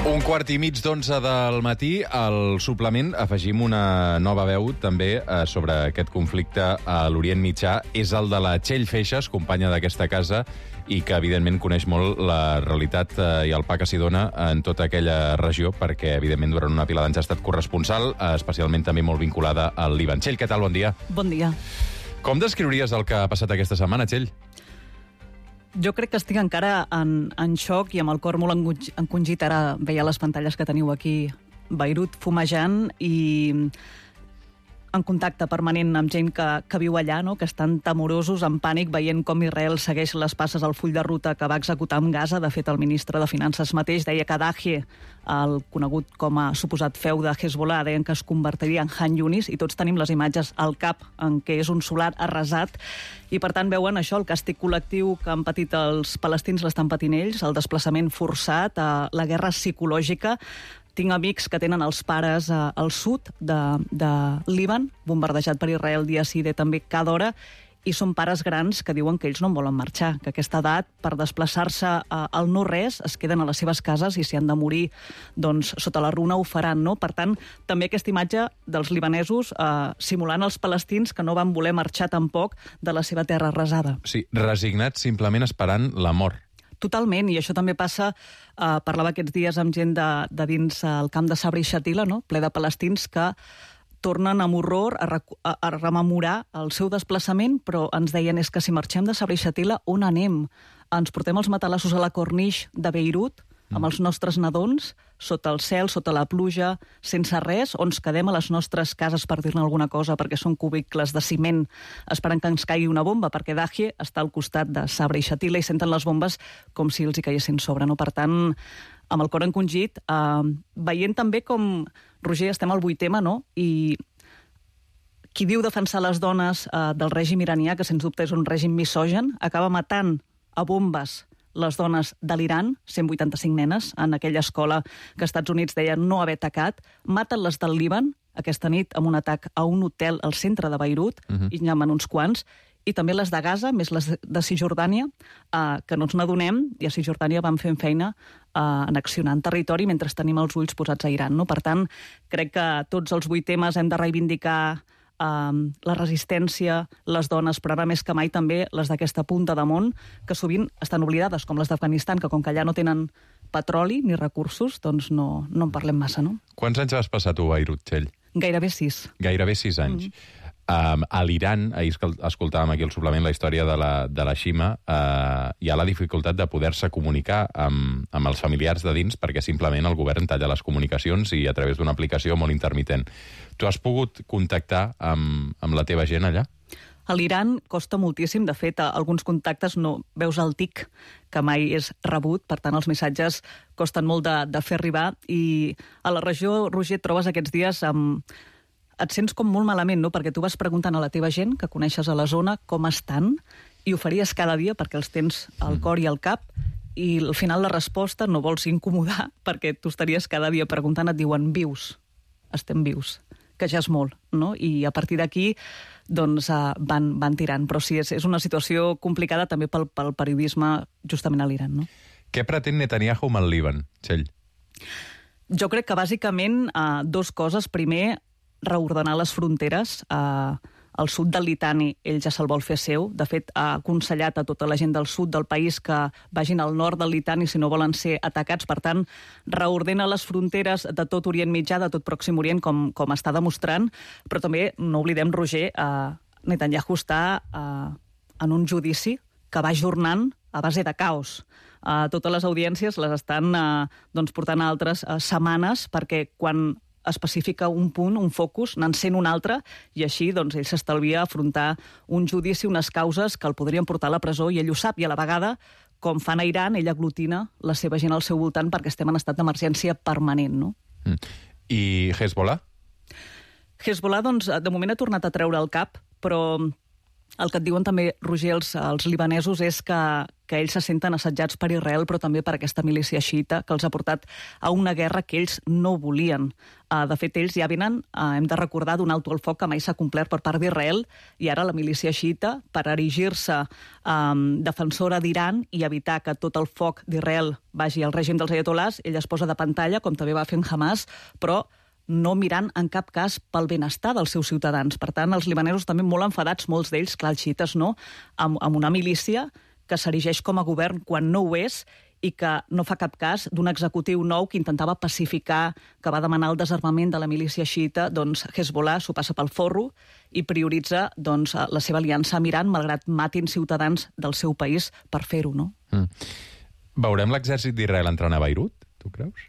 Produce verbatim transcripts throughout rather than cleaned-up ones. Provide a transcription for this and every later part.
Un quart i mig d'onze del matí, al suplement afegim una nova veu també eh, sobre aquest conflicte a l'Orient Mitjà. És el de la Txell Feixas, companya d'aquesta casa, i que evidentment coneix molt la realitat eh, i el pa que s'hi dona en tota aquella regió, perquè evidentment durant una pila d'anys ha estat corresponsal, eh, especialment també molt vinculada al Líban. Txell, què tal? Bon dia. Bon dia. Com descriuries el que ha passat aquesta setmana, Txell? Jo crec que estic encara en, en xoc i amb el cor molt encongit. Ara veia les pantalles que teniu aquí, Beirut fumejant i en contacte permanent amb gent que, que viu allà, no? Que estan temorosos, en pànic, veient com Israel segueix les passes al full de ruta que va executar amb Gaza. De fet, el ministre de Finances mateix deia que Dahieh, el conegut com a suposat feu de Hezbollah, deien que es convertiria en Han Yunis, i tots tenim les imatges al cap en què és un solar arrasat. I, per tant, veuen això, el càstig col·lectiu que han patit els palestins l'estan patint ells, el desplaçament forçat, la guerra psicològica. Tinc amics que tenen els pares eh, al sud de, de Líban, bombardejat per Israel dia sí, dia també cada hora, i són pares grans que diuen que ells no en volen marxar, que a aquesta edat, per desplaçar-se eh, al no-res, es queden a les seves cases i si han de morir doncs, sota la runa ho faran. No? Per tant, també aquesta imatge dels libanesos eh, simulant els palestins que no van voler marxar tampoc de la seva terra arrasada. Sí, resignats, simplement esperant la mort. Totalment, i això també passa, eh, parlava aquests dies amb gent de, de dins el camp de Sabra i Shatila, no? Ple de palestins que tornen amb horror a, a, a rememorar el seu desplaçament, però ens deien és que si marxem de Sabra i Shatila, on anem? Ens portem els matalassos a la Corniche de Beirut, amb els nostres nadons, sota el cel, sota la pluja, sense res, o ens quedem a les nostres cases, per dir-ne alguna cosa, perquè són cubicles de ciment, esperant que ens caigui una bomba, perquè Dahieh està al costat de Sabra i Shatila i senten les bombes com si els hi caiguessin sobre. No? Per tant, amb el cor encongit, eh, veient també com, Roger, estem al vuit ema, no? I qui diu defensar les dones eh, del règim iranià, que sens dubte és un règim misogen, acaba matant a bombes les dones de l'Iran, cent vuitanta-cinc nenes, en aquella escola que els Estats Units deien no haver atacat, maten les del Líban, aquesta nit, amb un atac a un hotel al centre de Beirut, uh-huh. i n'hi ha uns quants, i també les de Gaza, més les de Cisjordània, eh, que no ens n'adonem, i a Cisjordània van fent feina eh, en accionant territori mentre tenim els ulls posats a Iran. No? Per tant, crec que tots els vuit temes hem de reivindicar Uh, la resistència, les dones, però ara més que mai també les d'aquesta punta de món, que sovint estan oblidades, com les d'Afganistan, que com que allà no tenen petroli ni recursos, doncs no, no en parlem massa, no? Quants anys vas passar tu a Beirut, Txell? Gairebé sis. Gairebé sis anys. Mm. Um, a l'Iran, ahir escoltàvem aquí el suplement la història de la, de la Shima, uh, hi ha la dificultat de poder-se comunicar amb, amb els familiars de dins perquè simplement el govern talla les comunicacions i a través d'una aplicació molt intermitent. Tu has pogut contactar amb, amb la teva gent allà? A l'Iran costa moltíssim. De fet, alguns contactes no veus el tic, que mai és rebut, per tant els missatges costen molt de, de fer arribar, i a la regió, Roger, et trobes aquests dies amb... et sents com molt malament, no? Perquè tu vas preguntant a la teva gent que coneixes a la zona com estan, i ho faries cada dia perquè els tens al cor i al cap, i al final la resposta no vols incomodar perquè tu estaries cada dia preguntant, et diuen vius, estem vius, que ja és molt, no? I a partir d'aquí doncs van, van tirant. Però sí, és, és una situació complicada també pel, pel periodisme justament a l'Iran, no? Què pretén Netanyahu amb el Líban, Txell? Jo crec que bàsicament eh, dos coses. Primer, reordenar les fronteres. Eh, al sud del Litani ell ja se'l vol fer seu. De fet, ha aconsellat a tota la gent del sud del país que vagin al nord del Litani si no volen ser atacats. Per tant, reordena les fronteres de tot Orient Mitjà, de tot Pròxim Orient, com, com està demostrant. Però també, no oblidem, Roger, eh, Netanyahu està eh, en un judici que va ajornant a base de caos. Uh, totes les audiències les estan uh, doncs, portant a altres uh, setmanes, perquè quan especifica un punt, un focus, n'encén un altre, i així doncs, ell s'estalvia afrontar un judici, unes causes que el podrien portar a la presó, i ell ho sap, i a la vegada, com fan a Iran, ell aglutina la seva gent al seu voltant perquè estem en estat d'emergència permanent, no? Mm. I Hezbollah? Hezbollah, doncs, de moment ha tornat a treure el cap, però El que et diuen també, Roger, els, els libanesos és que, que ells se senten assetjats per Israel, però també per aquesta milícia xiita, que els ha portat a una guerra que ells no volien. Uh, de fet, ells ja venen, uh, hem de recordar, d'un alto al foc que mai s'ha complert per part d'Israel, i ara la milícia xiita, per erigir-se um, defensora d'Iran i evitar que tot el foc d'Israel vagi al règim dels ayatolars, ella es posa de pantalla, com també va fer en Hamas, però no mirant en cap cas pel benestar dels seus ciutadans. Per tant, els libanesos també molt enfadats, molts d'ells, clar, els xiites no, amb, amb una milícia que s'erigeix com a govern quan no ho és i que no fa cap cas d'un executiu nou que intentava pacificar, que va demanar el desarmament de la milícia xiita, doncs Hezbollah s'ho passa pel forro i prioritza doncs, la seva aliança amb Iran, malgrat matin ciutadans del seu país per fer-ho, no? Mm. Veurem l'exèrcit d'Israel entrant a Beirut, tu creus?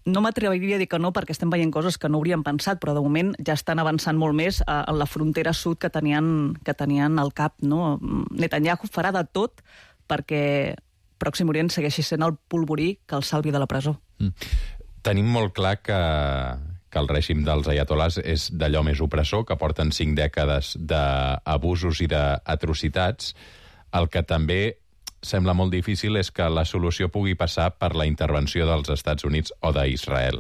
No m'atreviria a dir que no, perquè estem veient coses que no hauríem pensat, però de moment ja estan avançant molt més a, a la frontera sud que tenien, que tenien al cap, no? Netanyahu farà de tot perquè Pròxim Orient segueixi sent el polvorí que el salvi de la presó. Mm. Tenim molt clar que, que el règim dels ayatolars és d'allò més opressor, que porten cinc dècades d'abusos i d'atrocitats. El que també sembla molt difícil és que la solució pugui passar per la intervenció dels Estats Units o d'Israel.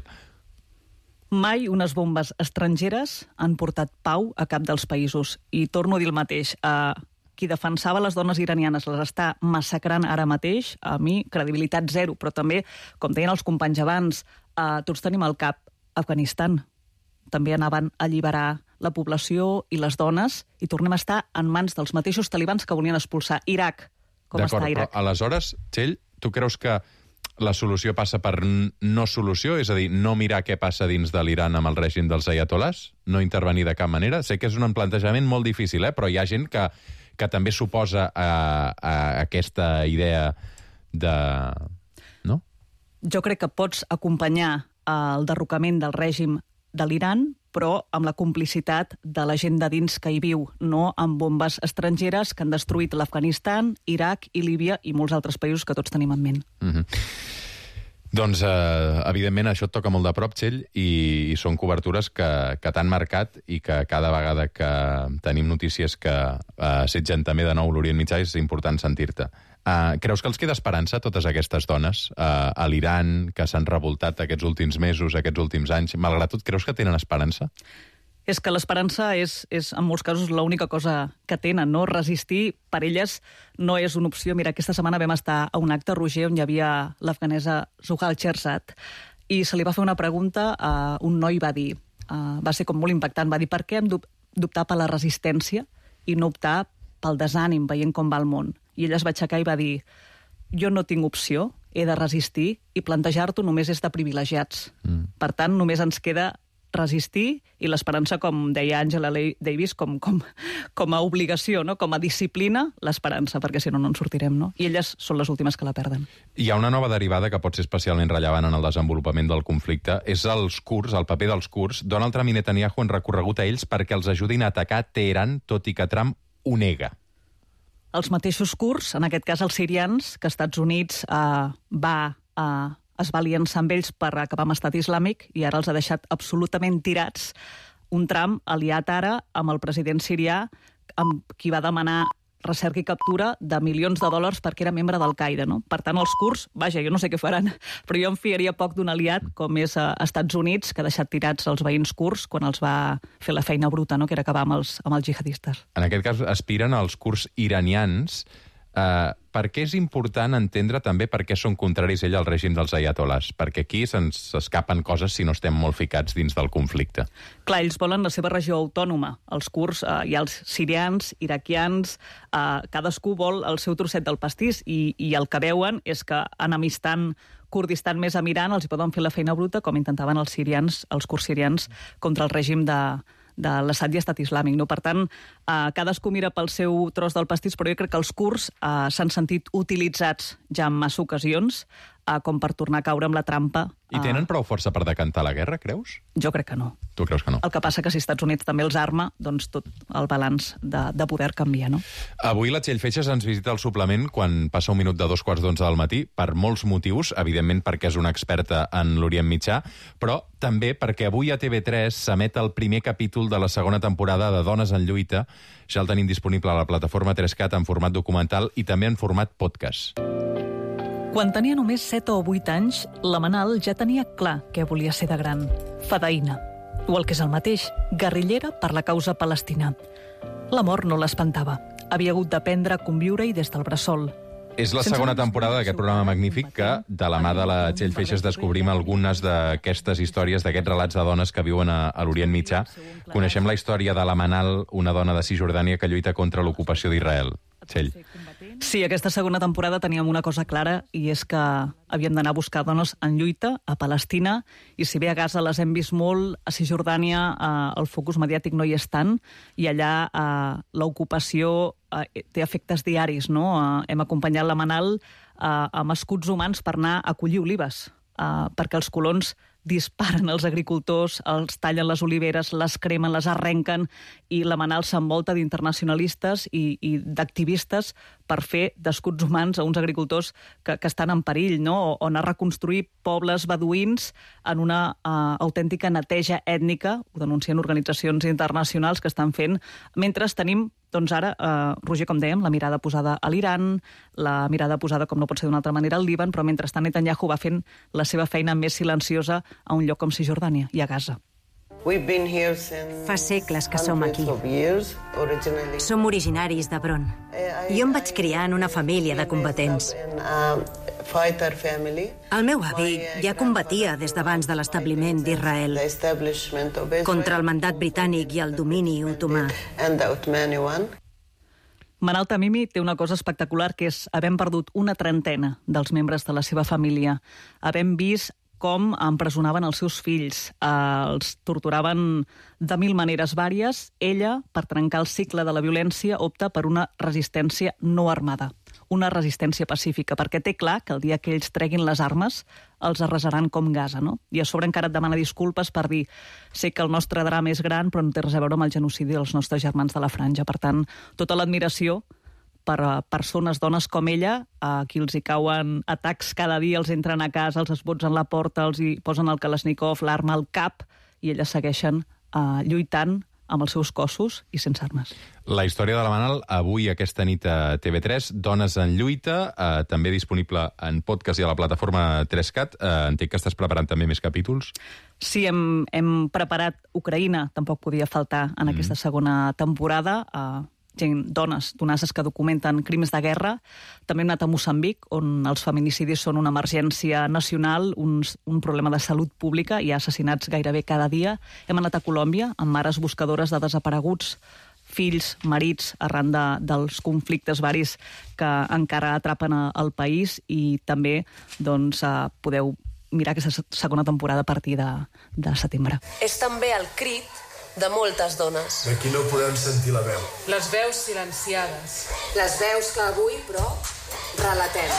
Mai unes bombes estrangeres han portat pau a cap dels països. I torno a dir el mateix. Uh, qui defensava les dones iranianes les està massacrant ara mateix. A mi, credibilitat zero. Però també, com deien els companys abans, uh, tots tenim al cap Afganistan. També anaven a alliberar la població i les dones i tornem a estar en mans dels mateixos talibans que volien expulsar Iraq. Com està Iraq. Però aleshores, Txell, tu creus que la solució passa per no solució? És a dir, no mirar què passa dins de l'Iran amb el règim dels ayatolars? No intervenir de cap manera? Sé que és un plantejament molt difícil, eh? Però hi ha gent que, que també s'oposa a, a aquesta idea de... No? Jo crec que pots acompanyar el derrocament del règim de l'Iran, però amb la complicitat de la gent de dins que hi viu, no amb bombes estrangeres que han destruït l'Afganistan, Iraq i Líbia i molts altres països que tots tenim en ment. Mm-hmm. Doncs, eh, evidentment, això et toca molt de prop, Txell, i, i són cobertures que, que t'han marcat i que cada vegada que tenim notícies que eh, assetgen també de nou l'Orient Mitjà és important sentir-te. Uh, creus que els queda esperança a totes aquestes dones uh, a l'Iran, que s'han revoltat aquests últims mesos, aquests últims anys? Malgrat tot, creus que tenen esperança? És que l'esperança és, és, en molts casos, l'única cosa que tenen, no? Resistir, per elles, no és una opció. Mira, aquesta setmana vam estar a un acte, Roger, on hi havia l'afganesa Zuhal Cherzat, i se li va fer una pregunta, uh, un noi va dir, uh, va ser com molt impactant, va dir, per què hem d'optar per la resistència i no optar pel desànim, veient com va el món? I ella es va aixecar i va dir, jo no tinc opció, he de resistir, i plantejar-t'ho només és de privilegiats. Mm. Per tant, només ens queda resistir, i l'esperança, com deia Angela Davis, com, com, com a obligació, no? Com a disciplina, l'esperança, perquè si no, no en sortirem, no? I elles són les últimes que la perden. Hi ha una nova derivada que pot ser especialment rellevant en el desenvolupament del conflicte, és els kurds, el paper dels kurds. Donald Trump i Netanyahu han recorregut a ells perquè els ajudin a atacar Teheran, tot i que Trump ho nega. Els mateixos kurds, en aquest cas els sirians, que Estats Units eh, va, eh, es va aliançar amb ells per acabar amb Estat Islàmic i ara els ha deixat absolutament tirats. Un Trump aliat ara amb el president sirià, amb qui va demanar recerca i captura de milions de dòlars perquè era membre d'Al-Qaeda, no? Per tant, els kurds, vaja, jo no sé què faran, però jo em fiaria poc d'un aliat com és a Estats Units, que ha deixat tirats els veïns kurds quan els va fer la feina bruta, no? Que era acabar amb els, amb els jihadistes. En aquest cas aspiren als kurds iranians. Uh, per què és important entendre també per què són contraris ell al règim dels ayatolars? Perquè aquí se'ns escapen coses si no estem molt ficats dins del conflicte. Clar, ells volen la seva regió autònoma. Els kurds, uh, hi ha els sirians, iraquians, uh, cadascú vol el seu trosset del pastís i, i el que veuen és que enemistant Kurdistan més amb Iran els hi poden fer la feina bruta com intentaven els sirians, els kurds sirians contra el règim de... de l'Assad i Estat Islàmic. No? Per tant, eh, cadascú mira pel seu tros del pastís, però jo crec que els kurds eh, s'han sentit utilitzats ja en massa ocasions eh, com per tornar a caure amb la trampa. Eh... I tenen prou força per decantar la guerra, creus? Jo crec que no. Tu creus que no? El que passa que si Estats Units també els arma, doncs tot el balanç de, de poder canvia, no? Avui la Txell Feixas ens visita el suplement quan passa un minut de dos quarts d'onze del matí, per molts motius, evidentment perquè és una experta en l'Orient Mitjà, però també perquè avui a T V tres s'emet el primer capítol de la segona temporada de Dones en lluita, ja el tenim disponible a la plataforma tres cat en format documental i també en format podcast. Quan tenia només set o vuit anys, la Manal ja tenia clar què volia ser de gran. Fadaïna. O el que és el mateix, guerrillera per la causa palestina. La mort no l'espantava. Havia hagut d'aprendre a conviure-hi des del bressol. És la segona temporada d'aquest programa magnífic que, de la mà de la Txell Feixas, descobrim algunes d'aquestes històries, d'aquests relats de dones que viuen a, a l'Orient Mitjà. Coneixem la història de la Manal, una dona de Cisjordània que lluita contra l'ocupació d'Israel. Txell. Sí, aquesta segona temporada teníem una cosa clara i és que havíem d'anar a buscar dones en lluita a Palestina i si bé a Gaza les hem vist molt, a Cisjordània eh, el focus mediàtic no hi és tant i allà eh, l'ocupació eh, té efectes diaris, no? Eh, hem acompanyat la Manal eh, amb escuts humans per anar a collir olives, eh, perquè els colons disparen els agricultors, els tallen les oliveres, les cremen, les arrenquen, i la Manal s'envolta d'internacionalistes i, i d'activistes per fer d'escuts humans a uns agricultors que, que estan en perill, no? O, o anar a reconstruir pobles beduïns en una uh, autèntica neteja ètnica, ho denuncien organitzacions internacionals que estan fent, mentre tenim doncs ara, eh, Roger, com dèiem, la mirada posada a l'Iran, la mirada posada, com no pot ser d'una altra manera, al Líban, però mentrestant Netanyahu va fent la seva feina més silenciosa a un lloc com Cisjordània i a Gaza. Fa segles que som aquí. Som originaris d'Hebron. Jo em vaig criar en una família de combatents. El meu avi ja combatia des d'abans de l'establiment d'Israel contra el mandat britànic i el domini otomà. Manal Tamimi té una cosa espectacular, que és havent perdut una trentena dels membres de la seva família, havent vist com empresonaven els seus fills, eh, els torturaven de mil maneres vàries. Ella, per trencar el cicle de la violència, opta per una resistència no armada, una resistència pacífica, perquè té clar que el dia que ells treguin les armes els arrasaran com Gaza, no? I a sobre encara et demana disculpes per dir sé que el nostre drama és gran, però no té res a veure amb el genocidi dels nostres germans de la Franja. Per tant, tota l'admiració per a persones, dones com ella, a qui els hi cauen atacs cada dia, els entren a casa, els esbotsen la porta, els hi posen el Kalashnikov, l'arma al cap, i elles segueixen uh, lluitant amb els seus cossos i sense armes. La història de la Manal, avui, aquesta nit a T V tres, Dones en lluita, eh, també disponible en podcast i a la plataforma tres cat. Eh, entenc que estàs preparant també més capítols. Sí, hem, hem preparat Ucraïna, tampoc podia faltar en mm. aquesta segona temporada, eh, gent, dones donases que documenten crims de guerra. També hem anat a Moçambic, on els feminicidis són una emergència nacional, un, un problema de salut pública, hi ha assassinats gairebé cada dia. Hem anat a Colòmbia, amb mares buscadores de desapareguts, fills, marits, arran de, dels conflictes varis que encara atrapen a, al país, i també doncs, eh, podeu mirar aquesta segona temporada a partir de, de setembre. És també el crit de moltes dones. Aquí no podem sentir la veu. Les veus silenciades. Les veus que avui, però, relatem.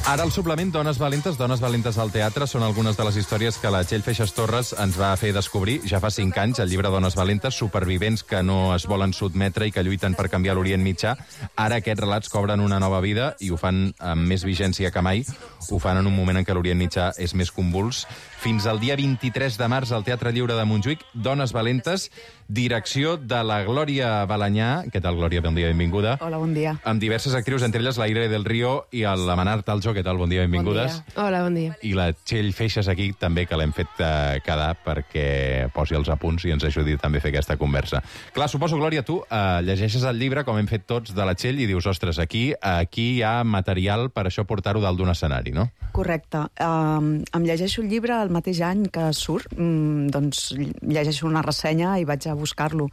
Ara el suplement Dones Valentes, Dones Valentes al teatre, són algunes de les històries que la Txell Feixas Torres ens va fer descobrir ja fa cinc anys, el llibre Dones Valentes, supervivents que no es volen sotmetre i que lluiten per canviar l'Orient Mitjà. Ara aquests relats cobren una nova vida i ho fan amb més vigència que mai. Ho fan en un moment en què l'Orient Mitjà és més convuls. Fins al dia vint-i-tres de març al Teatre Lliure de Montjuïc, Dones Valentes, direcció de la Glòria Balanyà. Què tal, Glòria? Bon dia, benvinguda. Hola, bon dia. Amb diverses actrius, entre elles la Ire del Río i la Manar Taljo. Què tal? Bon dia, benvingudes. Bon dia. Hola, bon dia. I la Txell Feixas aquí també, que l'hem fet uh, quedar perquè posi els apunts i ens ajudi també a fer aquesta conversa. Clar, suposo, Glòria, tu uh, llegeixes el llibre, com hem fet tots, de la Txell i dius, ostres, aquí, aquí hi ha material per això portar-ho dalt d'un escenari, no? Correcte. Um, em llegeixo el llibre el mateix any que surt, um, doncs llegeixo una ressenya i vaig a buscar-lo.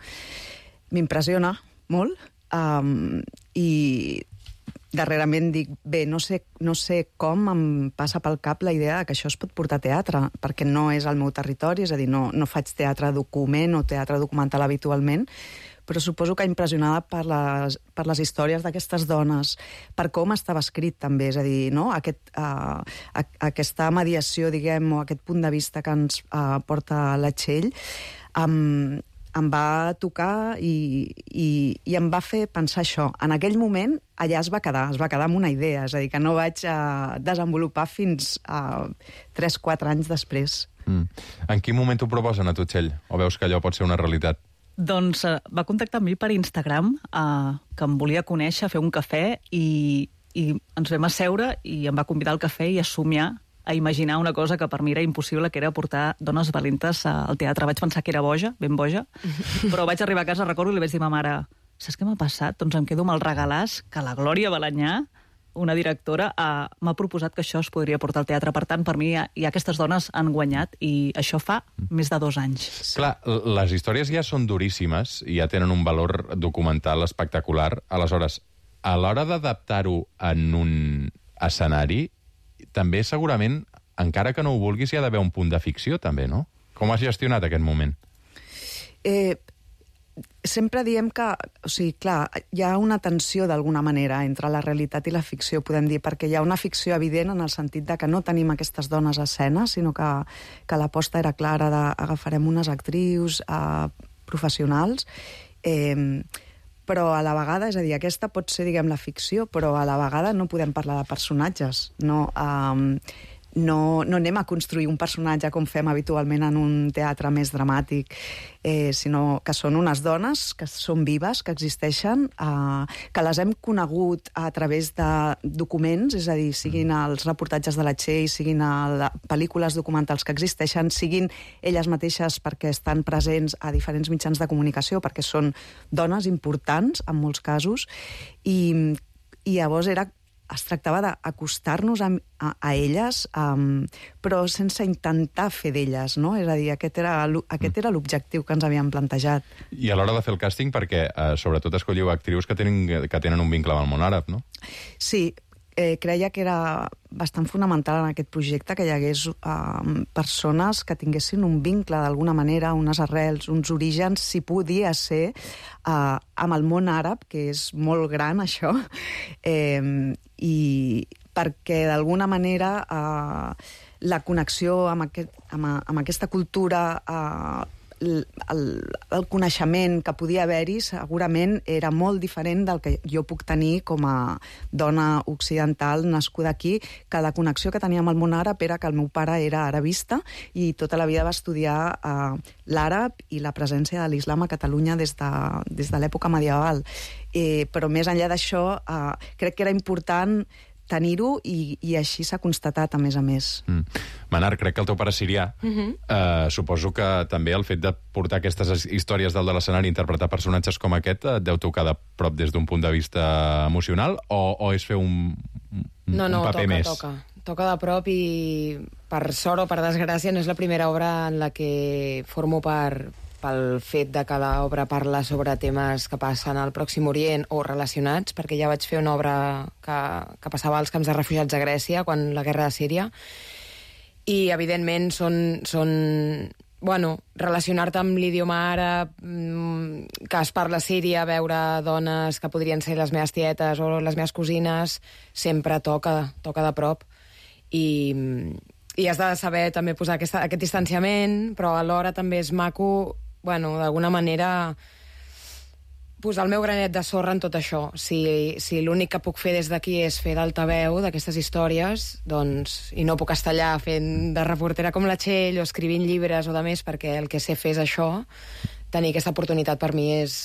M'impressiona molt um, i darrerament dic, bé, no sé, no sé com em passa pel cap la idea que això es pot portar a teatre, perquè no és el meu territori, és a dir, no, no faig teatre document o teatre documental habitualment, però suposo que impressionada per les, per les històries d'aquestes dones, per com estava escrit també, és a dir, no? Aquest, uh, a, aquesta mediació, diguem, o aquest punt de vista que ens uh, porta la Txell, um, em va tocar i, i, i em va fer pensar això. En aquell moment, allà es va quedar, es va quedar amb una idea, és a dir, que no vaig uh, desenvolupar fins a uh, tres quatre anys després. Mm. En quin moment t'ho proposen a tu, Txell? O veus que allò pot ser una realitat? Doncs uh, va contactar amb mi per Instagram, uh, que em volia conèixer, fer un cafè, i, i ens vam asseure i em va convidar al cafè i a somiar, a imaginar una cosa que per mi era impossible, que era portar dones valentes al teatre. Vaig pensar que era boja, ben boja, però vaig arribar a casa, recordo, i li vaig dir a ma mare, saps què m'ha passat? Doncs em quedo amb el regalàs que la Glòria Balanyà, una directora, uh, m'ha proposat que això es podria portar al teatre. Per tant, per mi, ja, ja aquestes dones han guanyat, i això fa més de dos anys. Clar, les històries ja són duríssimes i ja tenen un valor documental espectacular. Aleshores, a l'hora d'adaptar-ho en un escenari, també segurament, encara que no ho vulguis, hi ha d'haver un punt de ficció, també, no? Com has gestionat aquest moment? Eh... Sempre diem que, o sigui, clar, hi ha una tensió d'alguna manera entre la realitat i la ficció, podem dir, perquè hi ha una ficció evident en el sentit de que no tenim aquestes dones a escena, sinó que, que l'aposta era clara d'agafarem unes actrius eh, professionals, eh, però a la vegada, és a dir, aquesta pot ser, diguem, la ficció, però a la vegada no podem parlar de personatges, no... Eh, No, no anem a construir un personatge com fem habitualment en un teatre més dramàtic, eh, sinó que són unes dones que són vives, que existeixen, eh, que les hem conegut a través de documents, és a dir, siguin els reportatges de la Txell, siguin a pel·lícules documentals que existeixen, siguin elles mateixes perquè estan presents a diferents mitjans de comunicació, perquè són dones importants, en molts casos, i, i llavors era... es tractava d'acostar-nos a, a, a elles, um, però sense intentar fer d'elles, no? És a dir, aquest era, aquest era l'objectiu que ens havíem plantejat. I a l'hora de fer el càsting, perquè eh, sobretot escolliu actrius que tenen, que tenen un vincle amb el món àrab, no? Sí, eh, creia que era bastant fonamental en aquest projecte que hi hagués eh, persones que tinguessin un vincle d'alguna manera, unes arrels, uns orígens, si podia ser, eh, amb el món àrab, que és molt gran, això, eh, i perquè d'alguna manera eh, la connexió amb, aquest, amb, amb aquesta cultura, eh, el, el, el coneixement que podia haver-hi segurament era molt diferent del que jo puc tenir com a dona occidental nascuda aquí, que la connexió que tenia amb el món àrab era que el meu pare era arabista i tota la vida va estudiar eh, l'àrab i la presència de l'islam a Catalunya des de, des de l'època medieval. Eh, però més enllà d'això, eh, crec que era important tenir-ho i, i així s'ha constatat, a més a més. Mm. Manar, crec que el teu pare és sirià. Mm-hmm. uh, suposo que també el fet de portar aquestes històries dalt de l'escenari i interpretar personatges com aquest et deu tocar de prop des d'un punt de vista emocional, o, o és fer un, un, no, no, un paper toca, més? toca. Toca de prop i, per sort o per desgràcia, no és la primera obra en la que formo part pel fet de que l'obra parla sobre temes que passen al Pròxim Orient o relacionats, perquè ja vaig fer una obra que, que passava als camps de refugiats a Grècia, quan la guerra de Síria, i evidentment són... són bueno, relacionar-te amb l'idioma àrab, que es parla a Síria, veure dones que podrien ser les meves tietes o les meves cosines, sempre toca, toca de prop. I... i has de saber també posar aquesta, aquest distanciament, però alhora també és maco, bueno, d'alguna manera posar el meu granet de sorra en tot això. Si, si l'únic que puc fer des d'aquí és fer d'altaveu d'aquestes històries, doncs, i no puc estar allà fent de reportera com la Txell o escrivint llibres o de més, perquè el que sé fer és això, tenir aquesta oportunitat per mi és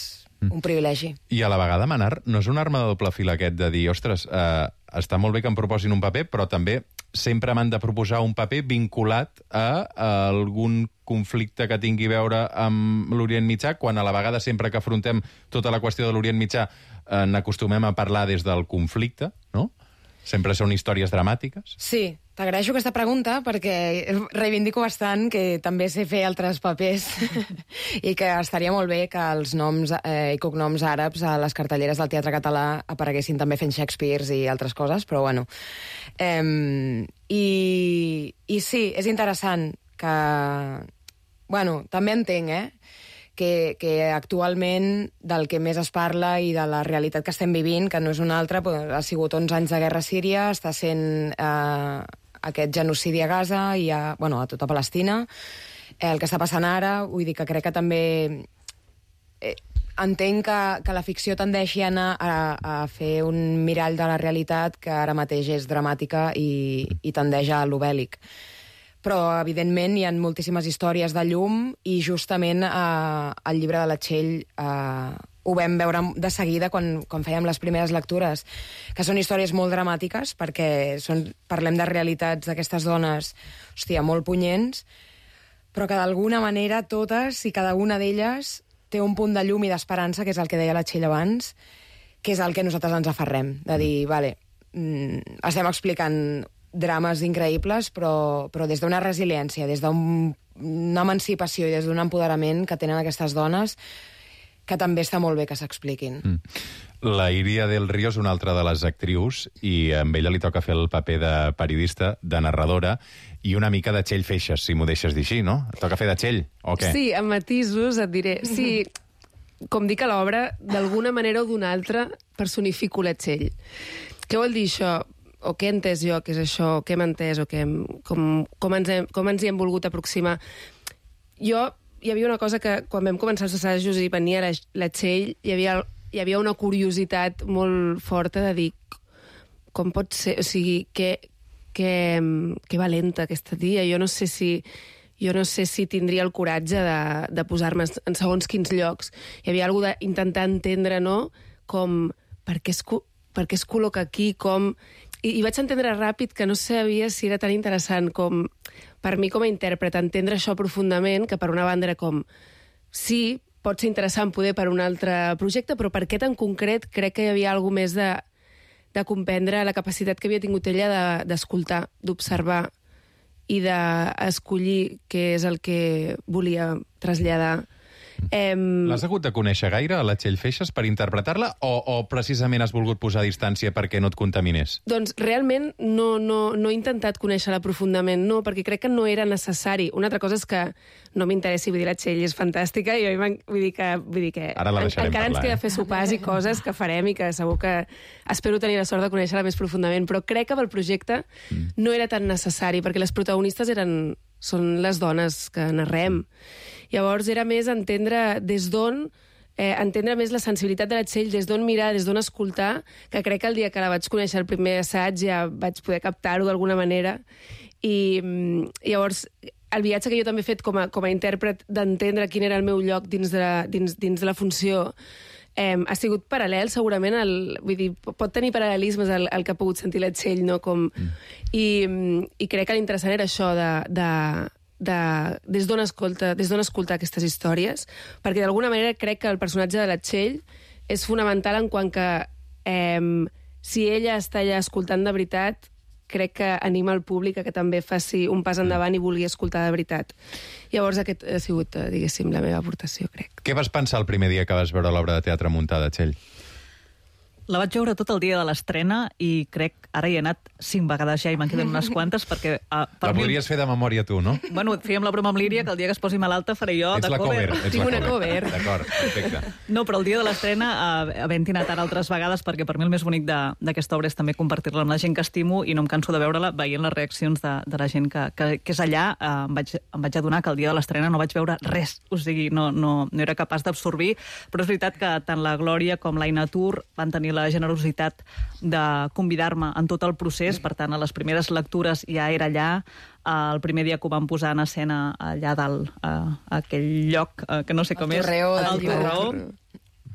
un privilegi. I a la vegada, Manar, no és una arma de doble fil aquest de dir, ostres, eh, està molt bé que em proposin un paper, però també sempre m'han de proposar un paper vinculat a, a algun conflicte que tingui a veure amb l'Orient Mitjà, quan a la vegada sempre que afrontem tota la qüestió de l'Orient Mitjà eh, n'acostumem a parlar des del conflicte, no? Sempre són històries dramàtiques? Sí, t'agraeixo aquesta pregunta perquè reivindico bastant que també sé fer altres papers i que estaria molt bé que els noms eh, i cognoms àrabs a les cartelleres del teatre català apareguessin també fent Shakespeares i altres coses, però bueno. Eh, i, I sí, és interessant que... Bueno, també entenc, eh? Que, que actualment del que més es parla i de la realitat que estem vivint, que no és una altra, ha sigut onze anys de guerra a Síria, està sent eh, aquest genocidi a Gaza i a, bueno, a tota Palestina, eh, el que està passant ara, vull dir que crec que també... Eh, entenc que, que la ficció tendeixi a anar a, a fer un mirall de la realitat que ara mateix és dramàtica i, i tendeix a lo bèl·lic. però evidentment hi ha moltíssimes històries de llum i justament eh, el llibre de la Txell eh, ho vam veure de seguida quan, quan fèiem les primeres lectures, que són històries molt dramàtiques perquè són, parlem de realitats d'aquestes dones, hòstia, molt punyents, però que d'alguna manera totes i cada una d'elles té un punt de llum i d'esperança, que és el que deia la Txell abans, que és el que nosaltres ens aferrem, de dir, vale, mm, estem explicant drames increïbles, però, però des d'una resiliència, des d'una emancipació i des d'un empoderament que tenen aquestes dones, que també està molt bé que s'expliquin. Mm. La Iria del Río és una altra de les actrius i a ella li toca fer el paper de periodista, de narradora, i una mica de Txell Feixes, si m'ho deixes dir així, no? Et toca fer de Txell, o què? Sí, amb matisos et diré. Sí, com dic a l'obra, d'alguna manera o d'una altra personifico la Txell. Què vol dir això? O què he entès jo, què és això, o què hem entès, o què hem, com, com, ens hem, com ens hi hem volgut aproximar. Jo, hi havia una cosa que quan vam començar els assajos i venia la, la Txell, hi havia, hi havia una curiositat molt forta de dir com pot ser, o sigui, que, que, que valenta aquesta tia. Jo no sé si... Jo no sé si tindria el coratge de, de posar-me en segons quins llocs. Hi havia alguna cosa d'intentar entendre, no?, com per què es, per què es col·loca aquí, com... I, I vaig entendre ràpid que no sabia si era tan interessant com, per mi com a intèrpret, entendre això profundament, que per una banda era com, sí, pot ser interessant poder per un altre projecte, però per aquest en concret crec que hi havia alguna més de, de comprendre la capacitat que havia tingut ella d'escoltar, de, d'observar, i d'escollir què és el que volia traslladar. Em... L'has hagut de conèixer gaire, a la Txell Feixes, per interpretar-la, o, o precisament has volgut posar a distància perquè no et contaminés? Doncs realment no, no, no he intentat conèixer-la profundament, no, perquè crec que no era necessari. Una altra cosa és que no m'interessi, vull dir, la Txell és fantàstica, i jo vull dir que, vull dir que ara la deixarem encara parlar, ens queda eh? fer sopars i coses que farem i que segur que espero tenir la sort de conèixer-la més profundament, però crec que pel projecte mm. no era tan necessari, perquè les protagonistes eren... són les dones que narrem. Llavors era més entendre des d'on, eh, entendre més la sensibilitat de la Txell, des d'on mirar, des d'on escoltar, que crec que el dia que la vaig conèixer el primer assaig ja vaig poder captar-ho d'alguna manera. I llavors el viatge que jo també he fet com a, com a intèrpret d'entendre quin era el meu lloc dins de la, dins, dins de la funció eh, ha sigut paral·lel, segurament, el, vull dir, pot tenir paral·lelismes el, el que ha pogut sentir la Txell, no? Com, mm. i, i crec que l'interessant era això de, de, de des d'on escolta, des d'on escoltar aquestes històries, perquè d'alguna manera crec que el personatge de la Txell és fonamental en quant que eh, si ella està allà escoltant de veritat, crec que anima el públic a que també faci un pas endavant i vulgui escoltar de veritat. Llavors aquest ha sigut, diguéssim, la meva aportació, crec. Què vas pensar el primer dia que vas veure l'obra de teatre muntada, Txell? La vaig veure tot el dia de l'estrena i crec, ara hi he anat cinc vegades ja i me'n queden unes quantes perquè... Uh, per la mi... podries fer de memòria tu, no? Bueno, fèiem la broma amb l'Íria que el dia que es posi malalta faré jo ets de la cover. cover. Ets Tinc la una cover. D'acord, perfecte. No, però el dia de l'estrena, uh, havent-hi anat ara altres vegades, perquè per mi el més bonic d'aquesta obra és també compartir-la amb la gent que estimo i no em canso de veure-la veient les reaccions de, de la gent que, que, que és allà. Uh, em, vaig, em vaig adonar que el dia de l'estrena no vaig veure res, o sigui, no, no, no era capaç d'absorbir, però és veritat que tant la Glòria com l'Aina Tur van tenir la generositat de convidar-me en tot el procés, per tant, a les primeres lectures ja era allà, el primer dia que ho van posar en escena allà dalt, a aquell lloc, que no sé com el és. Torreó, el Torreó.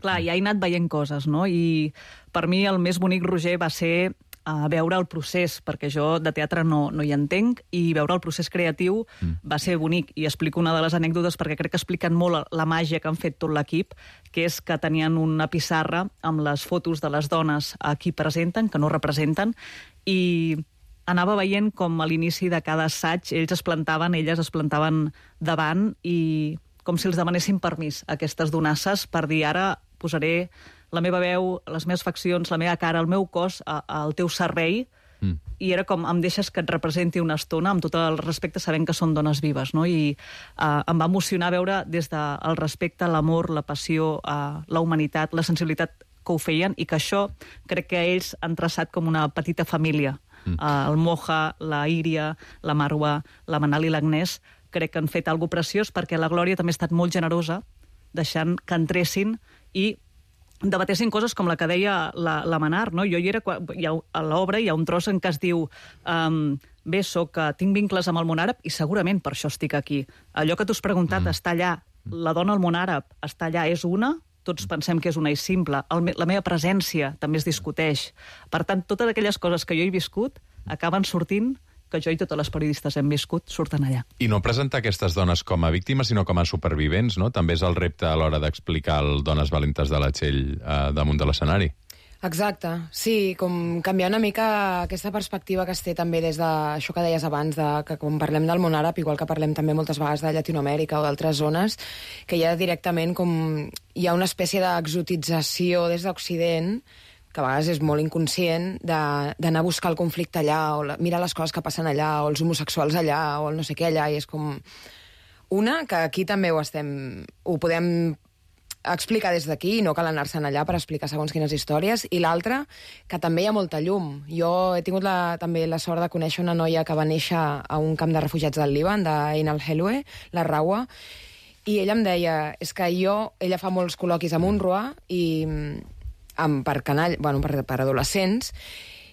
Clar, ja he anat veient coses, no? I per mi el més bonic, Roger, va ser a veure el procés, perquè jo de teatre no, no hi entenc, i veure el procés creatiu mm. va ser bonic. I explico una de les anècdotes perquè crec que expliquen molt la màgia que han fet tot l'equip, que és que tenien una pissarra amb les fotos de les dones a qui presenten, que no representen, i anava veient com a l'inici de cada assaig ells es plantaven, elles es plantaven davant, i com si els demanessin permís a aquestes donasses per dir ara posaré la meva veu, les meves faccions, la meva cara, el meu cos a, al teu servei, mm. i era com, em deixes que et representi una estona, amb tot el respecte, sabent que són dones vives, no? I uh, em va emocionar veure des del respecte, l'amor, la passió, uh, la humanitat, la sensibilitat que ho feien, i que això crec que ells han traçat com una petita família. Mm. Uh, el Moja, la Íria, la Marwa, la Manal i l'Agnès, crec que han fet alguna preciós, perquè la Glòria també ha estat molt generosa, deixant que entressin i debatessin coses com la que deia la, la Manar, no? Jo hi era, hi ha, a l'obra hi ha un tros en què es diu um, bé, soc, uh, tinc vincles amb el món àrab i segurament per això estic aquí. Allò que tu has preguntat, mm. està allà, la dona al món àrab està allà, és una, tots pensem que és una i simple. El, la meva presència també es discuteix. Per tant, totes aquelles coses que jo he viscut acaben sortint, que jo i totes les periodistes hem viscut, surten allà. I no presentar aquestes dones com a víctimes, sinó com a supervivents, no? També és el repte a l'hora d'explicar el Dones valentes de la Txell eh, damunt de l'escenari. Exacte, sí, com canviar una mica aquesta perspectiva que es té també des d'això que deies abans, de, que quan parlem del món àrab, igual que parlem també moltes vegades de Llatinoamèrica o d'altres zones, que hi ha directament com hi ha una espècie d'exotització des d'Occident, que a vegades és molt inconscient, d'anar a buscar el conflicte allà, o la, mirar les coses que passen allà, o els homosexuals allà, o el no sé què allà, i és com una, que aquí també ho estem, ho podem explicar des d'aquí, no cal anar-se'n allà per explicar segons quines històries, i l'altra, que també hi ha molta llum. Jo he tingut la, també la sort de conèixer una noia que va néixer a un camp de refugiats del Líban, d'Ain al-Helwe, la Rawa, i ella em deia, és que jo, ella fa molts col·loquis amb UNRWA, i amb, per canall, bueno, per, per adolescents,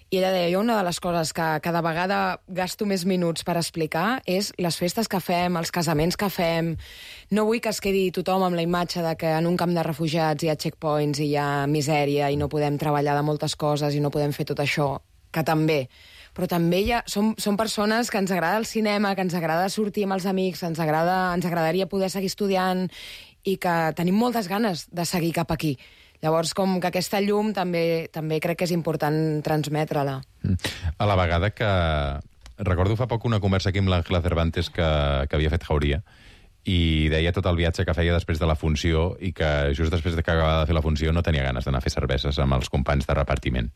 i ella deia, jo una de les coses que cada vegada gasto més minuts per explicar és les festes que fem, els casaments que fem. No vull que es quedi tothom amb la imatge de que en un camp de refugiats hi ha checkpoints i hi ha misèria i no podem treballar de moltes coses i no podem fer tot això, que també. Però també hi ha, som, som persones que ens agrada el cinema, que ens agrada sortir amb els amics, ens, agrada, ens agradaria poder seguir estudiant i que tenim moltes ganes de seguir cap aquí. Llavors, com que aquesta llum també també crec que és important transmetre-la. A la vegada que... Recordo fa poc una conversa aquí amb l'Àngela Cervantes que, que havia fet Jauria, i deia tot el viatge que feia després de la funció i que just després de que acabava de fer la funció no tenia ganes d'anar a fer cerveses amb els companys de repartiment.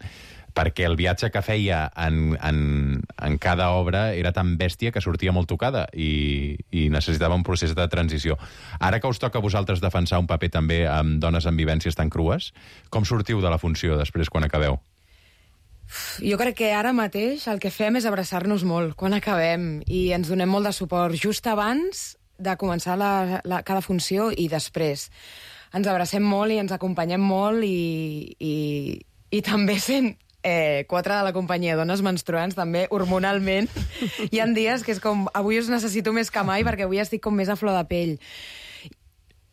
Perquè el viatge que feia en, en, en cada obra era tan bèstia que sortia molt tocada i, i necessitava un procés de transició. Ara que us toca a vosaltres defensar un paper també amb dones amb vivències tan crues, com sortiu de la funció després quan acabeu? Jo crec que ara mateix el que fem és abraçar-nos molt quan acabem i ens donem molt de suport just abans de començar la, la, cada funció i després. Ens abracem molt i ens acompanyem molt i, i, i també sent eh, quatre de la companyia dones menstruants, també hormonalment. Hi ha dies que és com, avui us necessito més que mai perquè avui estic com més a flor de pell.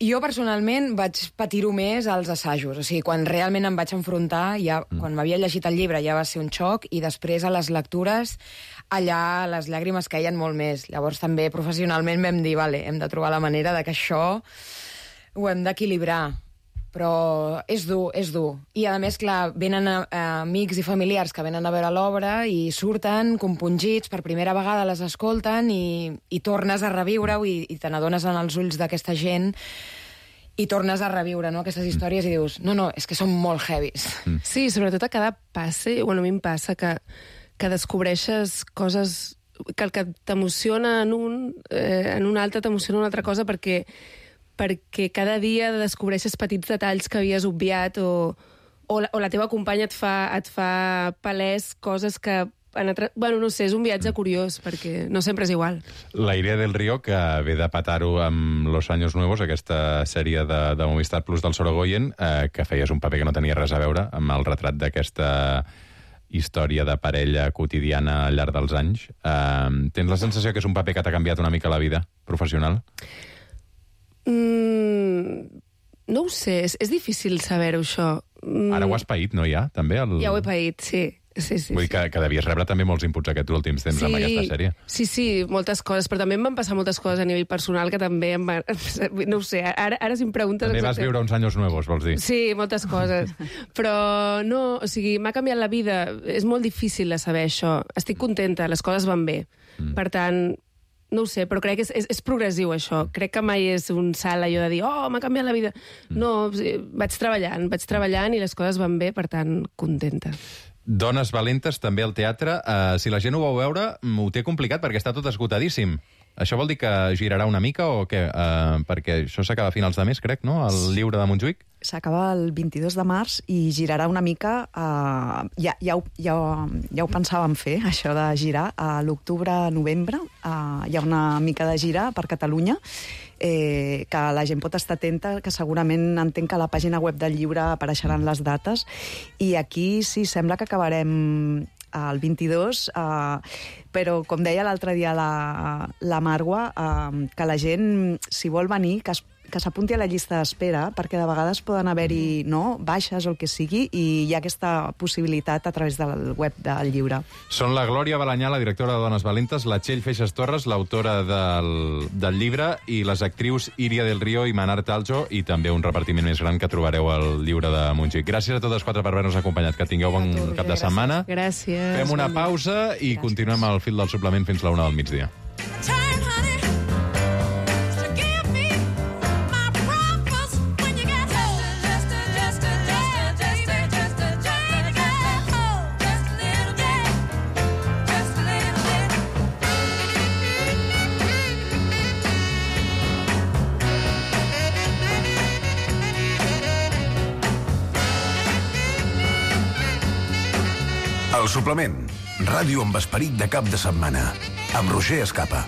Jo, personalment, vaig patir-ho més als assajos. O sigui, quan realment em vaig enfrontar, ja, mm. quan m'havia llegit el llibre ja va ser un xoc, i després a les lectures, allà les llàgrimes caien molt més. Llavors també professionalment vam dir, vale, hem de trobar la manera de que això ho hem d'equilibrar. Però és dur, és dur. I, a més, clar, venen a, a amics i familiars que venen a veure l'obra i surten compungits, per primera vegada les escolten i, i tornes a reviure-ho i, i te n'adones en els ulls d'aquesta gent i tornes a reviure, no?, aquestes històries i dius, no, no, és que són molt heavies. Sí, sobretot a cada passe, bueno, a mi em passa que, que descobreixes coses que el que t'emociona en un, eh, en un altre t'emociona una altra cosa perquè perquè cada dia descobreixes petits detalls que havies obviat o, o, la, o la teva companya et fa, et fa palès coses que... En altre... Bueno, no sé, és un viatge curiós, perquè no sempre és igual. La Iria del Río, que ve de petar-ho amb Los Años Nuevos, aquesta sèrie de, de Movistar Plus del Sorogoyen, eh, que feies un paper que no tenia res a veure amb el retrat d'aquesta història de parella quotidiana al llarg dels anys. Eh, tens la sensació que és un paper que t'ha canviat una mica la vida professional? Mm, no ho sé, és, és difícil saber-ho, això. Mm. Ara ho has paït, no, ja? També el... Ja ho he paït, sí. sí, sí Vull dir que, que devies rebre també molts inputs aquests últims temps sí, amb aquesta sèrie. Sí, sí, moltes coses, però també em van passar moltes coses a nivell personal que també em van... No ho sé, ara, ara si em preguntes... També vas viure uns anys nuevos, vols dir? Sí, moltes coses. Però no, o sigui, m'ha canviat la vida. És molt difícil de saber això. Estic contenta, les coses van bé. Mm. Per tant... No ho sé, però crec que és, és, és progressiu, això. Crec que mai és un salt allò de dir oh, m'ha canviat la vida. No, vaig treballant, vaig treballant i les coses van bé, per tant, contenta. Dones valentes, també al teatre. Uh, si la gent ho vol veure, ho té complicat perquè està tot esgotadíssim. Això vol dir que girarà una mica o què? Uh, perquè això s'acaba a finals de mes, crec, no?, el llibre de Montjuïc. S'acaba el vint-i-dos de març i girarà una mica... Uh, ja, ja, ho, ja, ja ho pensàvem fer, això de girar. A l'octubre-novembre uh, hi ha una mica de gira per Catalunya, eh, que la gent pot estar atenta, que segurament entenc que a la pàgina web del llibre apareixeran les dates. I aquí sí, sembla que acabarem el vint-i-dos, eh, però, com deia l'altre dia la, la Marwa, eh, que la gent, si vol venir, que es que s'apunti a la llista d'espera, perquè de vegades poden haver-hi no, baixes o el que sigui, i hi ha aquesta possibilitat a través del web del llibre. Són la Glòria Balanyà, la directora de Dones Valentes, la Txell Feixas Torres, l'autora del, del llibre, i les actrius Iria del Río i Manar Taljo, i també un repartiment més gran que trobareu al llibre de Montjuïc. Gràcies a totes quatre per haver-nos acompanyat. Que tingueu bon tu, cap de gràcies. setmana. Gràcies. Fem una pausa i gràcies. Continuem al fil del suplement fins la una del migdia. El suplement. Ràdio amb esperit de cap de setmana. Amb Roger Escapa.